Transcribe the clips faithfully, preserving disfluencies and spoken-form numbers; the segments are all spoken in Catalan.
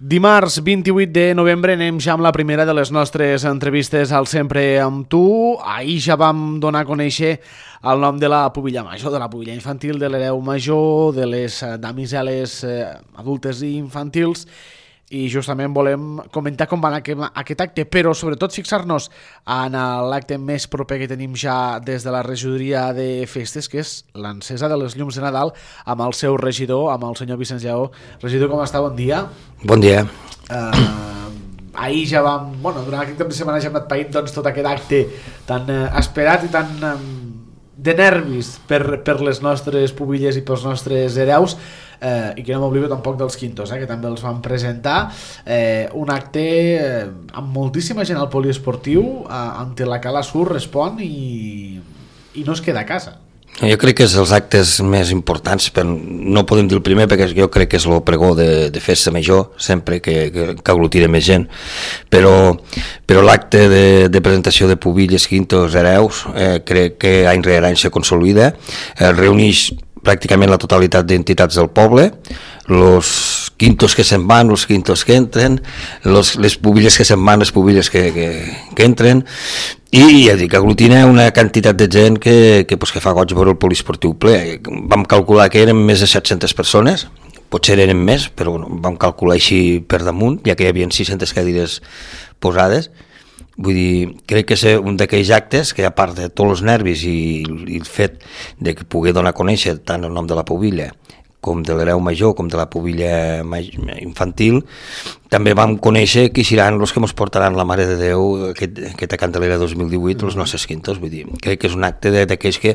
Dimarts vint-i-vuit de novembre anem ja amb la primera de les nostres entrevistes al Sempre amb tu. Ahir ja vam donar a conèixer el nom de la pubilla major, de la pubilla infantil, de l'hereu major, de les damiseles eh, adultes i infantils, i justament volem comentar com va anar aquest acte, però sobretot fixar-nos en l'acte més proper que tenim ja des de la regidoria de festes, que és l'encesa de les llums de Nadal amb el seu regidor, amb el senyor Vicenç Lleó. Regidor, com està? Bon dia. Bon dia. Uh, ahir ja vam, bueno, durant aquest cap de setmana ja hem anat païnt doncs, tot aquest acte tan uh, esperat i tan um, de nervis per, per les nostres pubilles i pels nostres hereus, eh, i que no m'oblido tampoc dels quintos, eh, que també els van presentar, eh, un acte eh, amb moltíssima gent al poliesportiu, eh, ante la Cala Sur respon i, i no es queda a casa. Jo crec que és els actes més importants, però no podem dir el primer perquè jo crec que és el pregó de, de festa major, sempre que, que, que aglutina més gent, però, però l'acte de, de presentació de pubilles, quintos, hereus, eh, crec que any rere any se consolida, eh, reuneix pràcticament la totalitat d'entitats del poble, los quintos que se'n van, els quintos que entren, los, les pubilles que se'n van, les pubilles que, que, que entren, i ja dic, aglutina una quantitat de gent que, que, pues, que fa goig veure el poliesportiu ple. Vam calcular que eren més de set-centes persones, potser eren més, però bueno, vam calcular així per damunt, ja que hi havia sis-centes cadires posades. Vull dir, crec que és un d'aquells actes que, a part de tots els nervis i, i el fet de que pugui donar a conèixer tant el nom de la pubilla com de l'hereu major, com de la pubilla infantil, també vam conèixer qui seran els que ens portaran la Mare de Déu aquest, aquesta Candelera dos mil divuit, els nostres quintos. Vull dir, crec que és un acte d'aquells que,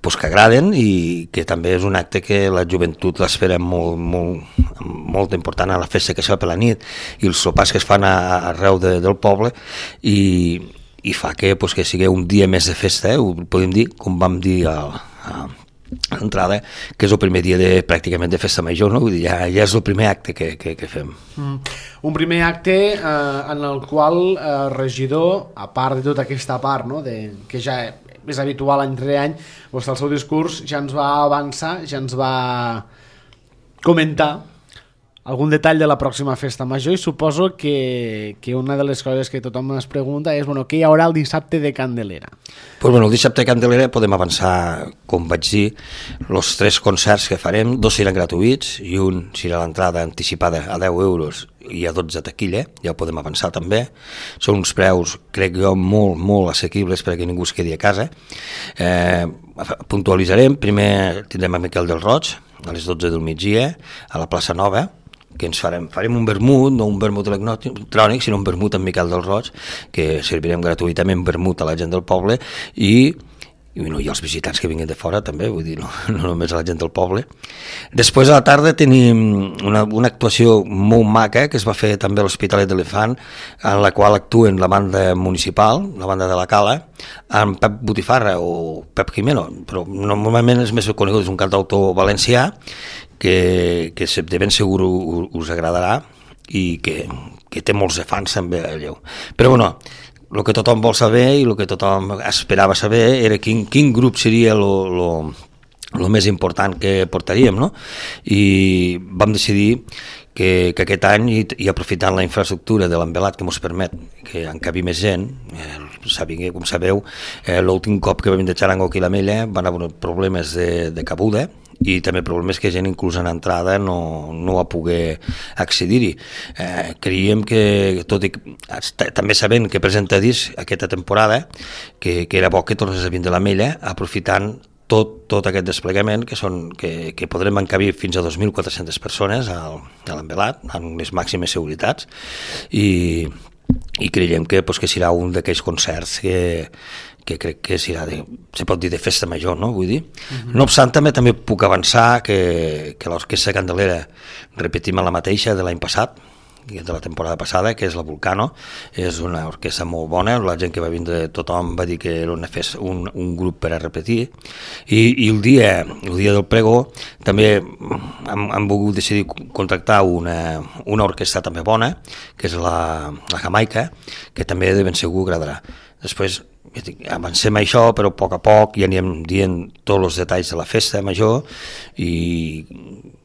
pues, que agraden i que també és un acte que la joventut l'espera molt, molt, molt important a la festa que es fa per la nit i els sopars que es fan a, arreu de, del poble, i, i fa que, pues, que sigui un dia més de festa, eh? Ho podem dir, com vam dir a, a l'entrada, que és el primer dia de, pràcticament de festa major, no? Vull dir, ja, ja és el primer acte que, que, que fem. Mm. Un primer acte eh, en el qual el eh, regidor, a part de tota aquesta part, no? de, que ja és habitual any rere any, vostè el seu discurs ja ens va avançar, ja ens va comentar algun detall de la pròxima festa major, i suposo que, que una de les coses que tothom es pregunta és, bueno, què hi haurà el dissabte de Candelera? Pues bueno, el dissabte de Candelera podem avançar, com vaig dir, els tres concerts que farem, dos seran gratuïts i un serà l'entrada anticipada a deu euros i a dotze taquilla, ja ho podem avançar també. Són uns preus, crec jo, molt, molt assequibles perquè ningú es quedi a casa. Eh, puntualitzarem, primer tindrem a Miquel del Roig, a les dotze del migdia, a la plaça Nova, que ens farem, farem un vermut, no un vermut electrònic, sinó un vermut amb Miquel del Roig, que servirem gratuïtament vermut a la gent del poble, i, i, no, i els visitants que vinguin de fora també, vull dir, no, no només a la gent del poble. Després a la tarda tenim una, una actuació molt maca que es va fer també a l'Hospitalet de l'Elefant, en la qual actuen la banda municipal, la banda de la Cala, amb Pep Botifarra o Pep Jimeno, però normalment és més conegut, és un cantautor valencià, que, que de ben segur us agradarà i que, que té molts de fans també allò. Però bueno, el que tothom vol saber i el que tothom esperava saber era quin, quin grup seria el més important que portaríem, no? I vam decidir que, que aquest any, i, i aprofitant la infraestructura de l'envelat que ens permet que encabi més gent, eh, sabia, com sabeu, eh, l'últim cop que vam de Xarango aquí a la Mella van haver problemes de, de cabuda, i també problemes que gent inclús en entrada no, no va poder accedir-hi. Eh, creiem que, tot i també sabent que presenta disc aquesta temporada, que, que era bo que tornés a vindre a la Mella, aprofitant tot, tot aquest desplegament que, són, que, que podrem encabir fins a dos mil quatre-centes persones al, a l'envelat, amb les màximes seguretats, i, i creiem que, pues, que serà un d'aquells concerts que que crec que serà de, se pot dir de festa major, no? Vull dir. Uh-huh. No obstant, també també puc avançar que, que l'Orquestra Candelera repetim la mateixa de l'any passat, de la temporada passada, que és la Vulcano. És una orquestra molt bona, la gent que va vindre, tothom va dir que era una festa, un, un grup per a repetir, i, i el, dia, el dia del pregó també hem, hem volgut decidir contractar una, una orquestra també bona, que és la, la Jamaica, que també de ben segur agradarà. Després avancem això, però a poc a poc ja anirem dient tots els detalls de la festa major, i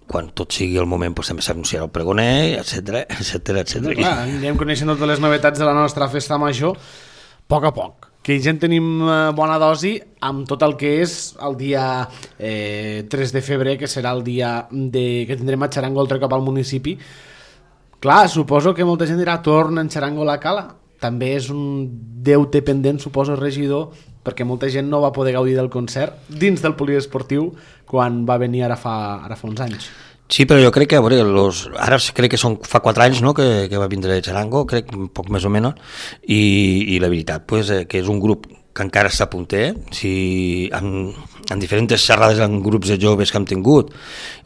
quan tot sigui el moment doncs, també s'anunciarà el pregoner, etcètera, etcètera, etcètera. Clar, anirem coneixent totes les novetats de la nostra festa major a poc a poc, que ja en tenim bona dosi amb tot el que és el dia eh, tres de febrer, que serà el dia de, que tindrem a Xarango el tren cap al municipi. Clar, suposo que molta gent dirà torna en Xarango a la cala. També és un deute pendent, suposo, regidor, perquè molta gent no va poder gaudir del concert dins del poliesportiu quan va venir ara fa, ara fa uns anys. Sí, però jo crec que, a veure, los, ara crec que són fa quatre anys, no?, que, que va vindre Xarango, crec, un poc més o menys, i, i la veritat, pues, eh, que és un grup que encara està punter, si en, en diferents xerrades en grups de joves que hem tingut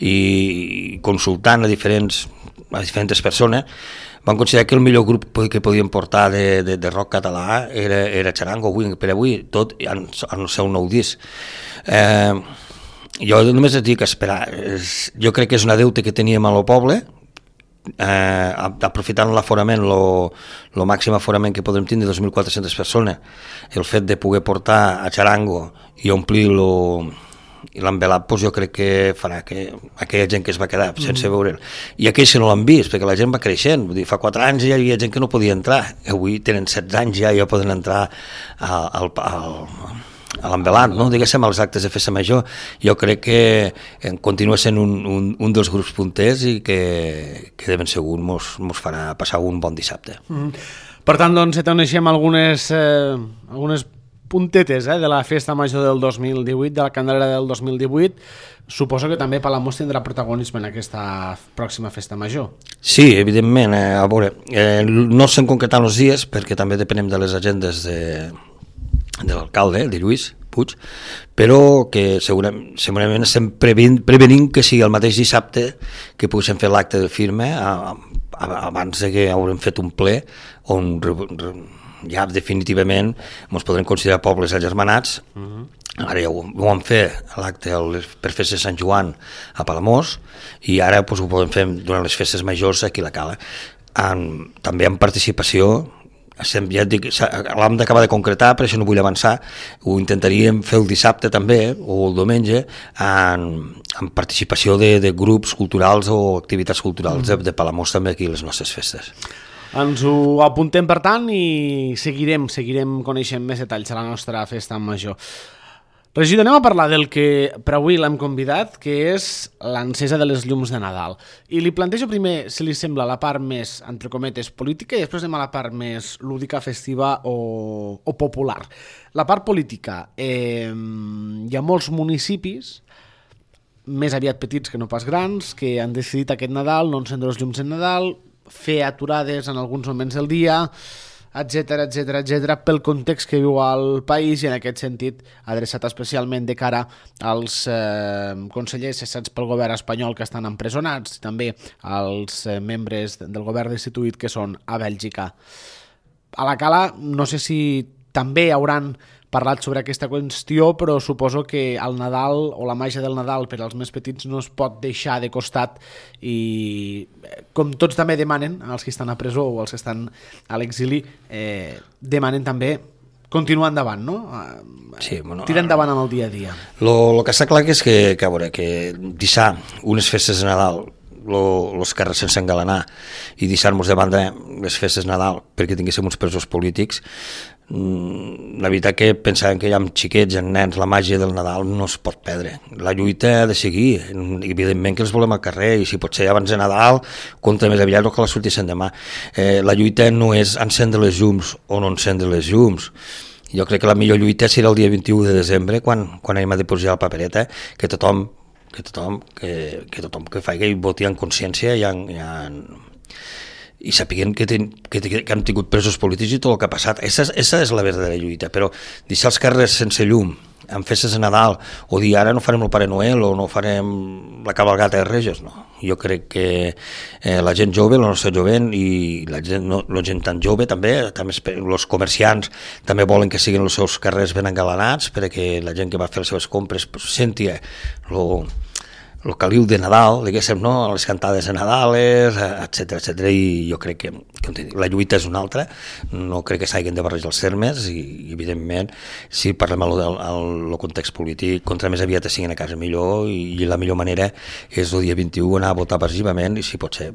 i consultant a diferents, a diferents persones, van considerar que el millor grup que podien portar de, de, de rock català era, era Xarango, avui, per avui, tot en, en el seu nou disc. Eh, jo només et dic esperar, jo crec que és una deute que teníem a lo poble, eh, aprofitant l'aforament, el màxim aforament que podem tindre, dos mil quatre-centes persones, el fet de poder portar a Xarango i omplir lo i l'envelat, doncs jo crec que farà que aquella gent que es va quedar sense mm. veure'l, i aquells que no l'han vist, perquè la gent va creixent, vull dir, fa quatre anys ja hi havia gent que no podia entrar, avui tenen setze anys ja, ja poden entrar al, al, al, a l'envelat, no? Diguéssim, als actes de festa major. Jo crec que continua sent un, un, un dels grups punters i que, que de ben segur mos, mos farà passar un bon dissabte. Mm. Per tant, doncs, et coneixem algunes, eh, algunes puntetes eh, de la festa major del dos mil divuit, de la Candelera del dos mil divuit. Suposo que també Palamós tindrà protagonisme en aquesta pròxima festa major. Sí, evidentment. Eh, a veure, eh, no estem concretant els dies perquè també depenem de les agendes de, de l'alcalde, de Lluís Puig, però que segurament, segurament estem prevenint, prevenint que sigui el mateix dissabte que poguéssim fer l'acte de firma a, a, abans de que haurem fet un ple on ja definitivament ens podrem considerar pobles agermanats. Uh-huh. Ara ja ho, ho vam fer a l'acte per festes de Sant Joan a Palamós i ara doncs, ho podem fer durant les festes majors aquí a la Cala. En, també amb participació, ja dic, l'hem d'acabar de concretar, per això no vull avançar, ho intentaríem fer el dissabte també o el diumenge en, en participació de, de grups culturals o activitats culturals uh-huh. de, de Palamós també aquí a les nostres festes. Ens ho apuntem, per tant, i seguirem, seguirem coneixent més detalls a la nostra festa major. Regidor, anem a parlar del que per avui l'hem convidat, que és l'encesa de les llums de Nadal. I li plantejo primer, si li sembla, la part més, entre cometes, política, i després anem a la part més lúdica, festiva o, o popular. La part política, eh, hi ha molts municipis, més aviat petits que no pas grans, que han decidit aquest Nadal no encendre les llums en Nadal, fer aturades en alguns moments del dia, etcètera, etcètera, etcètera, pel context que viu al país i en aquest sentit adreçat especialment de cara als eh, consellers cessats pel govern espanyol que estan empresonats i també als eh, membres del govern destituït que són a Bèlgica. A la Cala no sé si també hauran parlat sobre aquesta qüestió, però suposo que el Nadal o la màgia del Nadal per als més petits no es pot deixar de costat i com tots també demanen, els que estan a presó o els que estan a l'exili, eh, demanen també continuar endavant, no? Sí, bueno, tirar endavant amb el dia a dia. El que està clar que és que, que, a veure, que deixar unes festes de Nadal els carrers sense engalanar i deixar-nos de banda les festes de Nadal perquè tinguéssim uns presos polítics, la veritat que pensàvem que ja amb xiquets, amb nens, la màgia del Nadal no es pot perdre. La lluita ha de seguir, evidentment que els volem al carrer i si pot ser abans de Nadal, contra més aviat o que la sortissin demà. Eh, la lluita no és encendre les llums o no encendre les llums. Jo crec que la millor lluita serà el dia vint-i-u de desembre quan, quan anem a dipositar la papereta, que tothom que tothom que, que, tothom que faci i voti en consciència i, en, i, en, i sapiguem que, ten, que, que hem tingut presos polítics i tot el que ha passat. Esa, esa és la verdadera lluita, però deixar els carrers sense llum en festes de Nadal o dir ara no farem el Pare Noel o no farem la cabalgata de Reis, no. Jo crec que eh, la gent jove, la nostra jovent i la gent, no, la gent tan jove també, també els comerciants també volen que siguin els seus carrers ben engalanats perquè la gent que va fer les seves compres pues, senti lo, el caliu de Nadal, diguéssim, no? Les cantades de Nadales, etcètera, etcètera, i jo crec que, que la lluita és una altra, no crec que s'hagin de barrejar els termes, i evidentment, si parlem del context polític, contra més aviat siguin a casa millor, i, i la millor manera és el dia vint-i-u anar a votar passivament, i si pot ser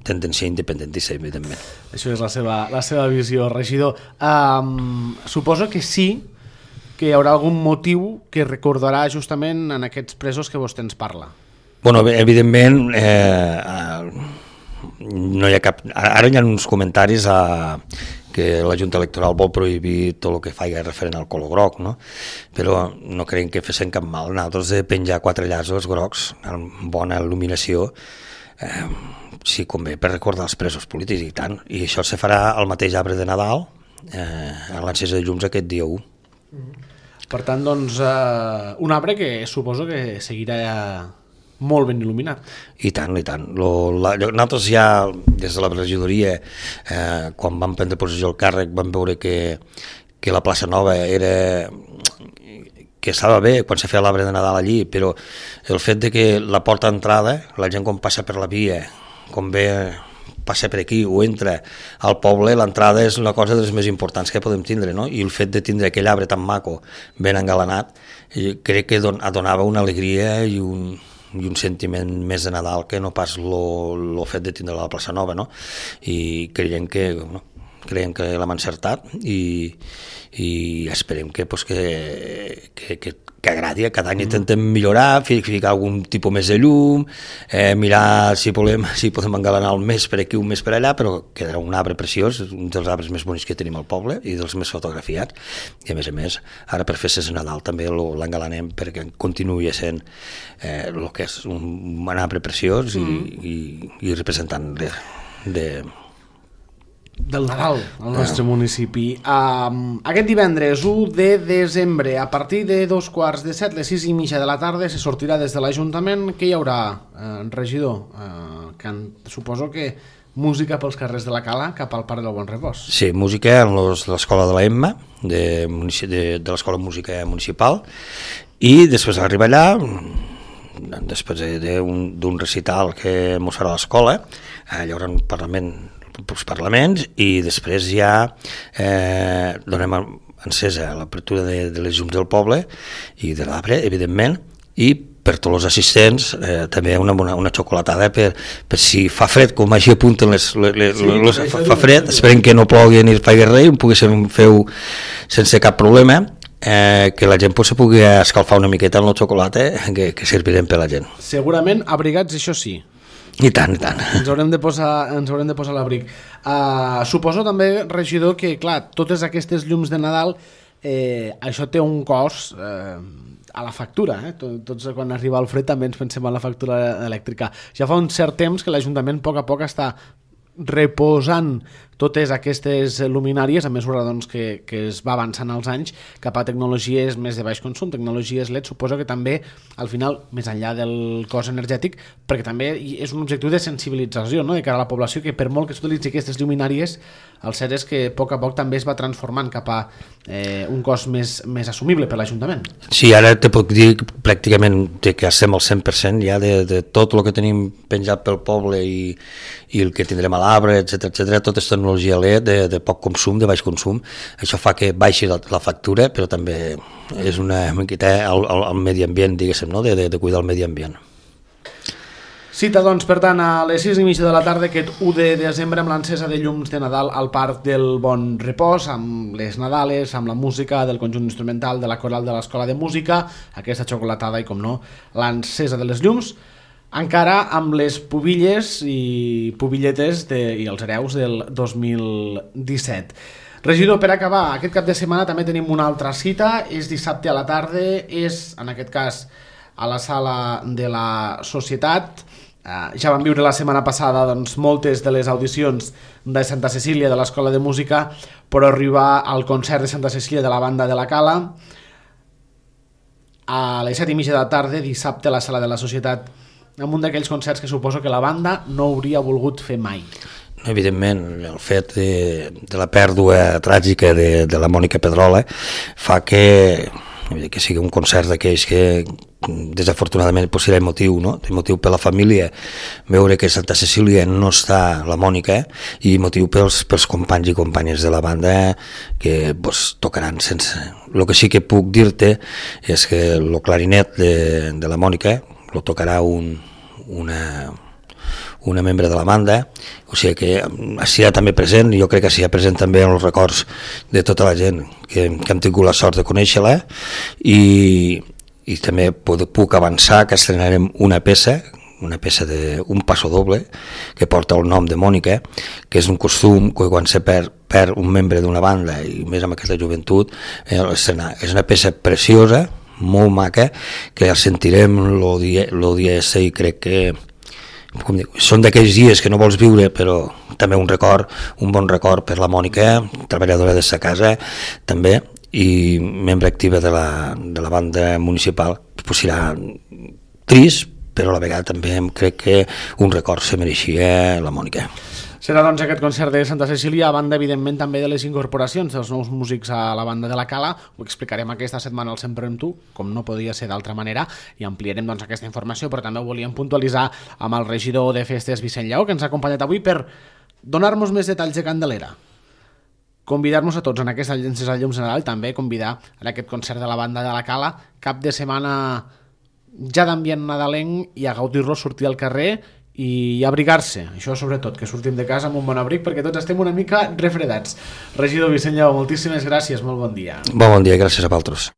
tendència independentista, evidentment. Això és la seva, la seva visió, regidor. Um, suposo que sí, que hi haurà algun motiu que recordarà justament en aquests presos que vostè ens parla. Bueno, evidentment, eh, no hi ha cap... Ara hi ha uns comentaris a que la Junta Electoral vol prohibir tot el que faci referent al color groc, no? Però no creiem que fessin cap mal. Nosaltres de penjar quatre llaços grocs amb bona il·luminació, eh, sí, convé per recordar els presos polítics i tant. I això se farà al mateix arbre de Nadal, eh, a l'encesa de llums aquest dia u. Per tant, doncs, eh, un arbre que suposo que seguirà molt ben il·luminat. I tant, i tant. Lo, la, nosaltres ja, des de la regidoria, eh, quan vam prendre possessió el càrrec, vam veure que, que la plaça Nova era... que estava bé quan se feia l'arbre de Nadal allí, però el fet de que la porta d'entrada, la gent quan passa per la via, com ve passa per aquí o entra al poble, l'entrada és una cosa de les més importants que podem tindre, no? I el fet de tindre aquell arbre tan maco, ben engalanat, crec que don, donava una alegria i un, i un sentiment més de Nadal que no pas el fet de tindre la plaça Nova, no? I creiem que, no, creiem que l'hem encertat i, i esperem que, pues, que, que, que, que agradi. Cada any intentem millorar, ficar algun tipus més de llum, eh, mirar si podem, si podem engalanar un mes per aquí, un mes per allà, però quedarà un arbre preciós, un dels arbres més bonics que tenim al poble i dels més fotografiats. I a més a més, ara per festes de Nadal també l'engalanem perquè continuï sent eh, el que és un, un arbre preciós i, mm. i, i representant de... de del Nadal al nostre ah. municipi. Um, aquest divendres u de desembre, a partir de dos quarts de set, les sis i mitja de la tarda, se sortirà des de l'Ajuntament. Què hi haurà, eh, regidor? Eh, can... Suposo que música pels carrers de la Cala cap al Parc del Bon Repòs. Sí, música en l'escola de la Emma, de, de, de l'escola de música municipal, i després arriba allà, després d'un recital que mos farà a l'escola, hi haurà un parlament els parlaments i després ja eh, donem encesa a l'apertura de, de les llums del poble i de l'arbre, evidentment, i per tots els assistents eh, també una, una, una xocolatada per, per si fa fred, com així apunten les, les, les, sí, les fa, fa fred, esperem que no plogui ni es faci res, ho poguéssim fer sense cap problema, eh, que la gent pues, se pugui escalfar una miqueta amb la xocolata que, que servirem per la gent. Segurament abrigats, això sí. I tant, i tant. Ens haurem de posar, ens haurem de posar l'abric. Uh, suposo també, regidor, que clar, totes aquestes llums de Nadal, eh, això té un cost eh, a la factura. Eh? Tots quan arriba el fred també ens pensem en la factura elèctrica. Ja fa un cert temps que l'Ajuntament a poc a poc està reposant totes aquestes luminàries a mesura doncs, que, que es va avançant als anys cap a tecnologies més de baix consum, tecnologies L E D. Suposo que també al final, més enllà del cost energètic, perquè també és un objectiu de sensibilització, no?, de cara a la població, que per molt que s'utilitzi aquestes luminàries, el cert és que a poc a poc també es va transformant cap a eh, un cost més, més assumible per l'Ajuntament. Sí, ara te puc dir pràcticament que estem al cent per cent ja de, de tot el que tenim penjat pel poble i, i el que tindrem a l'arbre, etcètera, etcètera, tot és tecnologia L E D de, de poc consum, de baix consum. Això fa que baixi la, la factura, però també és una miqueta al, al, al medi ambient, diguéssim, no? de, de, de cuidar el medi ambient. Cita, doncs, per tant, a les sis i mitja de la tarda, aquest u de desembre, amb l'encesa de llums de Nadal al Parc del Bon Repòs, amb les Nadales, amb la música del conjunt instrumental de la coral de l'Escola de Música, aquesta xocolatada i, com no, l'encesa de les llums, encara amb les pubilles i pubilletes de, i els hereus del dos mil disset. Regidor, per acabar, aquest cap de setmana també tenim una altra cita, és dissabte a la tarda, és, en aquest cas, a la sala de la Societat. Uh, ja vam viure la setmana passada doncs, moltes de les audicions de Santa Cecília de l'Escola de Música, però arribar al concert de Santa Cecília de la banda de la Cala a les set i mitja de la tarda, dissabte a la sala de la Societat, amb un d'aquells concerts que suposo que la banda no hauria volgut fer mai. Evidentment, el fet de, de la pèrdua tràgica de, de la Mònica Pedrola fa que vull dir que sigui un concert d'aquells que desafortunadament pues, serà emotiu, no? Emotiu per la família veure que a Santa Cecília no està la Mònica i emotiu pels, pels companys i companyes de la banda que pues, tocaran sense... El que sí que puc dir-te és que el clarinet de, de la Mònica lo tocarà un, una, una membre de la banda, o sigui que serà també present, i jo crec que serà present també en els records de tota la gent que, que hem tingut la sort de conèixer-la, i, i també puc avançar que estrenarem una peça, una peça d'un passo doble que porta el nom de Mònica, que és un costum que quan se perd, perd un membre d'una banda, i més amb aquesta joventut, eh, és una peça preciosa, molt maca, que la sentirem el dia, el dia ese, i crec que com dic, són d'aquells dies que no vols viure, però també un record, un bon record per la Mònica, treballadora de sa casa també, i membre activa de la, de la banda municipal. Pues serà trist, però a la vegada també crec que un record se mereixia la Mònica. Serà doncs aquest concert de Santa Cecília, a banda evidentment també de les incorporacions dels nous músics a la banda de la Cala. Ho explicarem aquesta setmana al Sempre amb tu, com no podia ser d'altra manera, i ampliarem doncs aquesta informació, però també ho volíem puntualitzar amb el regidor de Festes, Vicent Lleó, que ens ha acompanyat avui per donar-nos més detalls de Candelera. Convidar-nos a tots en aquesta llences al llum general, també convidar a aquest concert de la banda de la Cala, cap de setmana ja d'ambient nadalenc, i a gaudir-lo, sortir al carrer i abrigar-se, això sobretot, que sortim de casa amb un bon abric, perquè tots estem una mica refredats. Regidor Vicent Lleó, moltíssimes gràcies, molt bon dia. Bon, bon dia, gràcies a vosaltres.